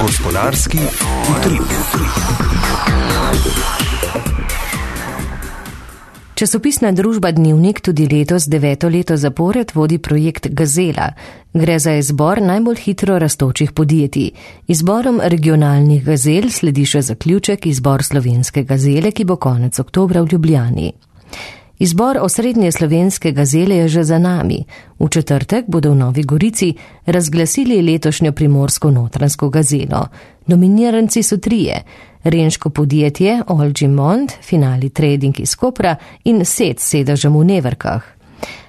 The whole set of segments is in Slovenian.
Gospodarski utrip. Časopisna družba Dnevnik tudi letos 9. leto zapored vodi projekt Gazela. Gre za izbor najbolj hitro rastočih podjetij. Izborom regionalnih gazel sledi še zaključek izbor slovenske gazele, ki bo konec oktobra v Ljubljani. Izbor osrednje slovenske gazele je že za nami. V četrtek bodo v Novi Gorici razglasili letošnjo primorsko-notranjsko gazelo. Nominiranci so 3: renško podjetje Olgimont, Finali Trading iz Kopra in SET s sedežem v Neverkah.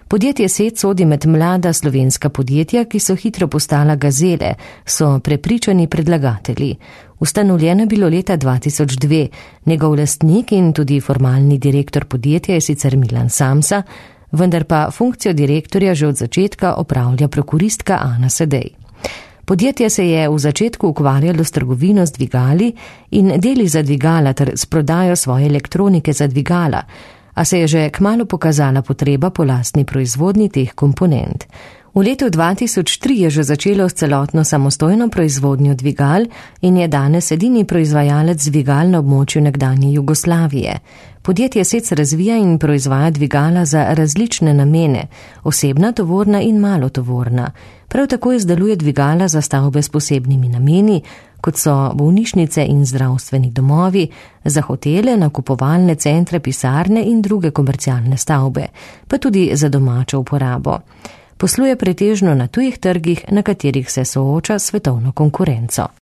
Podjetje SET sodi med mlada slovenska podjetja, ki so hitro postala gazele, so prepričani predlagatelji. Ustanovljeno je bilo leta 2002, njegov lastnik in tudi formalni direktor podjetja je sicer Milan Samsa, vendar pa funkcijo direktorja že od začetka opravlja prokuristka Ana Sedej. Podjetje se je v začetku ukvarjalo s trgovino z dvigali in deli za dvigala ter s prodajo svoje elektronike za dvigala, a se je že kmalu pokazala potreba po lastni proizvodnji teh komponent. V letu 2003 je že začelo s celotno samostojno proizvodnjo dvigal in je danes edini proizvajalec dvigal na območju nekdanje Jugoslavije. Podjetje SET razvija in proizvaja dvigala za različne namene, osebna, tovorna in malotovorna. Prav tako izdeluje dvigala za stavbe s posebnimi nameni, kot so bolnišnice in zdravstveni domovi, za hotele, nakupovalne centre, pisarne in druge komercialne stavbe, pa tudi za domačo uporabo. Posluje pretežno na tujih trgih, na katerih se sooča s svetovno konkurenco.